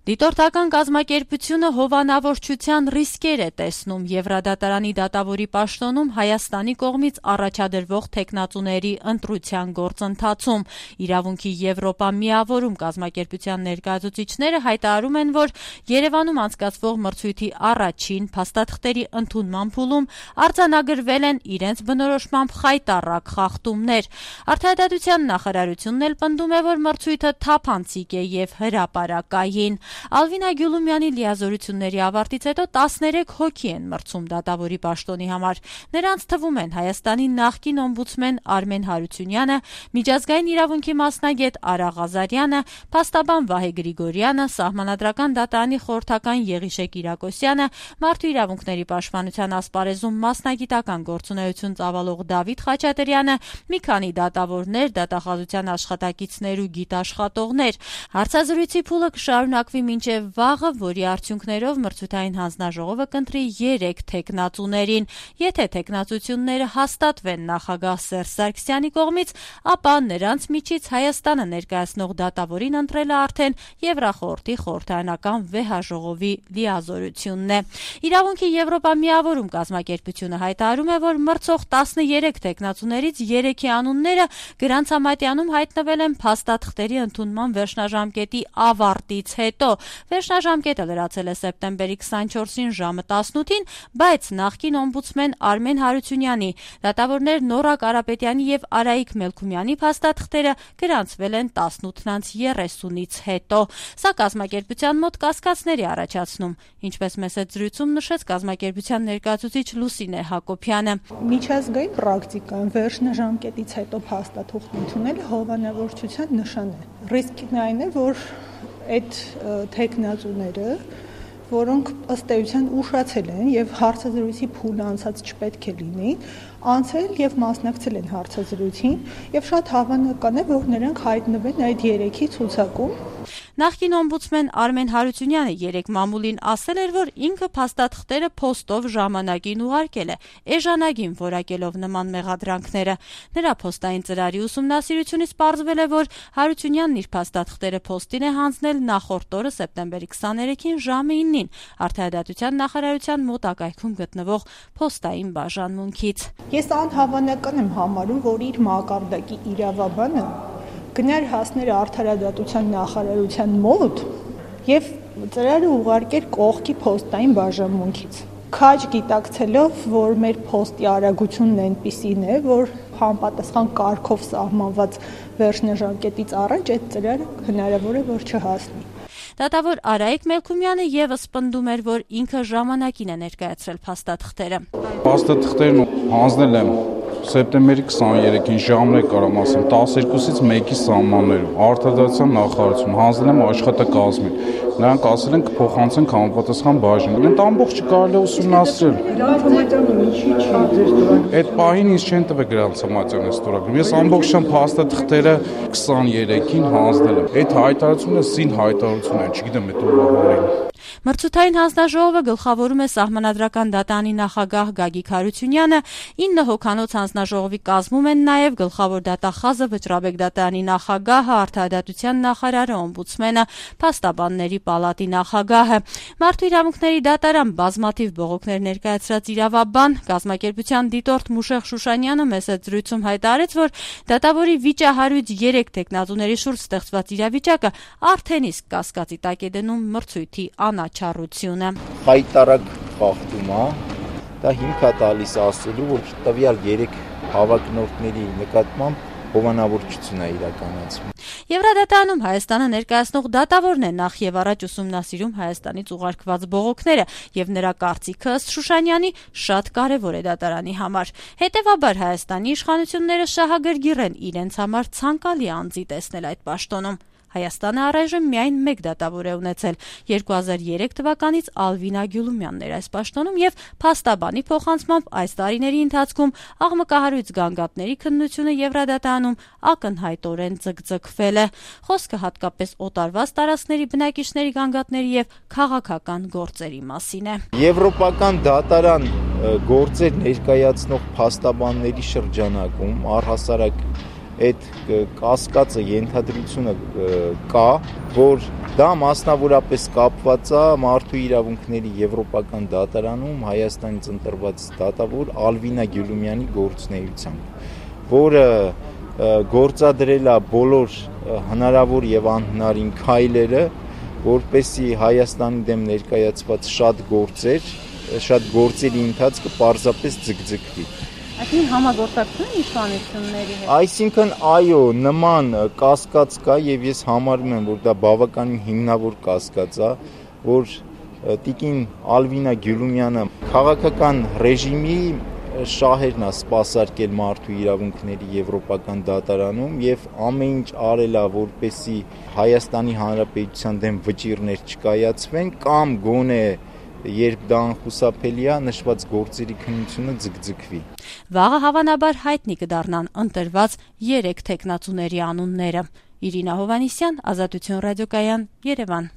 Դիտորդական կազմակերպությունը հովանավորչության ռիսկեր է տեսնում Եվրադատարանի դատավորի պաշտոնում Հայաստանի կողմից առաջադրվող թեկնածուների ընտրության գործընթացում։ Իրավունքի Եվրոպա միավորում կազմակերպության ներկայացուցիչները հայտարարում են, որ Երևանում անցկացվող մրցույթի առաջին փաստաթղթերի ընդունման փուլում արձանագրվել են իրենց բնորոշմամբ խայտառակ խախտումներ։ Արդարադատության նախարարությունն էլ պնդում է, որ մրցույթը թափանցիկ է եւ հրապարակային։ Ալվինա Գյուլումյանի լիազորությունների ավարտից հետո 13 հոգի են մրցում դատավորի պաշտոնի համար։ Նրանց թվում են Հայաստանի նախկին օմբուդսմեն Արմեն Հարությունյանը, միջազգային իրավունքի մասնագետ Արա Ղազարյանը, փաստաբան Վահե Գրիգորյանը, Սահմանադրական դատարանի խորհրդական Եղիշե Կիրակոսյանը, Մարդու իրավունքների պաշտպանության ասպարեզում մասնագիտական գործունեություն ծավալող Դավիթ Խաչատրյանը, մի քանի դատավորներ, դատախազության աշխատակիցներ ու գիտաշխատողներ։ Հարցազրույցի փուլը կշարունակվի մինչև վաղը, որի արդյունքներով մրցութային հանձնաժողովը կընտրի 3 թեկնածուներին։ Եթե թեկնածությունները հաստատվեն նախագահ Սերժ Սարգսյանի կողմից, ապա նրանց միջից Հայաստանը ներկայացնող դատավորին ընտրելը արդեն Եվրախորհրդի խորհրդարանական վեհաժողովի լիազորությունն է։ Իրավունքի Եվրոպա միավորում կազմակերպությունը հայտարարում է, որ մրցող 13 թեկնածուներից 3-ի անունները գրանցամատյանում հայտնվել են փաստաթղթերի ընդունման վերջնաժամկետի ավարտից հետո։ Վերջնաժամկետը լրացել է սեպտեմբերի 24-ին ժամը 18-ին, բայց նախկին օմբուդսմեն Արմեն Հարությունյանի, դատավորներ Նորա Կարապետյանի եւ Արայիկ Մելքումյանի փաստաթղթերը գրանցվել են 18:30-ից հետո։ Սա կազմակերպության մոտ կասկածներ է առաջացնում, ինչպես մեծ զրույցում նշեց կազմակերպության ներկայացուցիչ Լուսինե Հակոբյանը։ Միջազգային պրակտիկան վերջնաժամկետից հետո փաստաթուղթ ընդունելը հովանավորչության նշան է։ Ռիսկն այն է, որ այդ թեկնածուները, որոնք ըստ էության ուշացել են եւ հարցազրույցի փուլը անցած չպետք է լինի, անցել եւ մասնակցել են հարցազրույցին եւ շատ հավանական է, որ նրանք հայտնվեն այդ 3-ի ցուցակում։ Նախկին օմբուդսմեն Արմեն Հարությունյանը 3 մամուլին ասել էր, որ ինքը փաստաթղթերը փոստով ժամանակին ուղարկել է, էժանագին որակելով նման մեղադրանքները։ Նրա փոստային ծրարի ուսումնասիրությունից պարզվել է, որ Հարությունյանն իր փաստաթղթերը փոստին է հանձնել նախորդ օրը սեպտեմբերի 23-ին ժամը 9-ին Արդարադատության նախարարության մոտակայքում գտնվող փոստային բաժանմունքից։ Ես անհավանական եմ համարում, որ իր մակարդակի իրավաբանը գնար հասներ Արդարադատության նախարարության մոտ եւ ծրարը ուղարկեր կողքի փոստային բաժանմունքից։ Քաջ գիտակցելով, որ մեր փոստի արագությունն այնպիսին է, որ համապատասխան կարգով սահմանված վերջնաժամկետից առաջ այդ ծրարը հնարավոր է, որ չհասնի։ Դատավոր Արայիկ Մելքումյանը եւս պնդում էր, որ ինքը ժամանակին է ներկայացրել փաստաթղթերը։ Փաստաթղթերն հանձնել եմ սեպտեմբերի 23-ին ժամն է կարամ ասեմ 12-ից 1-ի սահմաններում Արդարադատության նախարարություն հանձնել եմ աշխատակազմին։ Նրանք ասել են կփոխանցեն համապատասխան բաժին։ Այդ ամբողջը կարելի է ուսումնասիրել։ Այդ պահին ինձ չեն տվել գրանցամատյանը ստորագրում։ Ես ամբողջությամբ փաստաթղթերը 23-ին հանձնել եմ։ Այդ հայտարարությունը զին հայտարարություն է, չգիտեմ այդ ով։ Մրցութային հանձնաժողովը գլխավորում է Սահմանադրական դատարանի նախագահ Գագիկ Հարությունյանը, 9 հոգանոց հանձնաժողովի կազմում են նաև գլխավոր դատախազը, Վճռաբեկ դատարանի նախագահը, Արդարադատության նախարարը, օմբուդսմենը, Փաստաբանների պալատի նախագահը։ Մարդու իրավունքների դատարան բազմաթիվ բողոքներ ներկայացրած իրավաբան, կազմակերպության դիտորդ Մուշեղ Շուշանյանը մեծ զրույցում հայտարարեց, որ դատավորի վիճահարույց 3 թեկնածուների շուրջ ստեղծված իրավիճակը արդեն իսկ կասկածի տակ է դնում մրցույթի անաչառությունը։ Խայտառակ խախտում է, դա հիմք է տալիս ասելու, որ տվյալ 3 հավակնորդների նկատմամբ հովանավորչություն է իրականացվում։ Եվրադատարանում Հայաստանը ներկայացնող դատավորն է նախ եւ առաջ ուսումնասիրում Հայաստանից ուղարկված բողոքները եւ նրա կարծիքը ըստ Շուշանյանի շատ կարեւոր է դատարանի համար։ Հետեւաբար Հայաստանի իշխանությունները շահագրգիռ են իրենց համար ցանկալի անձի տեսնել այդ պաշտոնում։ Հայաստանը առայժմ միայն 1 դատավոր է ունեցել 2003 թվականից Ալվինա Գյուլումյանն էր այս պաշտոնում եւ փաստաբանի փոխանցմամբ այս տարիների ընթացքում աղմկահարույց գանգատների քննությունը Եվրադատարանում ակնհայտորեն ձգձգվել է։ Խոսքը հատկապես օտարված տարածքների բնակիչների գանգատների եւ քաղաքական գործերի մասին է։ Եվրոպական դատարան գործեր ներկայացնող փաստաբանների շրջանակում առհասարակ այդ կասկածը ենթադրությունը կա, որ դա մասնավորապես կապված է մարդու իրավունքների եվրոպական դատարանում Հայաստանից ընտրված դատավոր Ալվինա Գյուլումյանի գործունեությամբ, որը գործադրել է բոլոր հնարավոր եւ անհնարին քայլերը, որպեսզի Հայաստանի դեմ ներկայացված շատ գործերի ընթացքը պարզապես ձգձգվի։ Այսինքն համագործակցություն իշխանությունների հետ։ Այսինքն այո, նման կասկած կա եւ ես համարում եմ, որ դա բավականին հիմնավոր կասկած է, որ տիկին Ալվինա Գյուլումյանը քաղաքական ռեժիմի շահերն է սպասարկել մարդու իրավունքների եվրոպական դատարանում եւ ամեն ինչ արել է, որպեսզի Հայաստանի Հանրապետության դեմ վճիռներ չկայացվեն կամ գոնե երբ դա անխուսափելի է, նշված գործերի քննությունը ձգձգվի։ Վաղը հավանաբար հայտնի կդառնան ընտրված 3 թեկնածուների անունները։ Իրինա Հովհաննիսյան, Ազատություն ռադիոկայան, Երևան։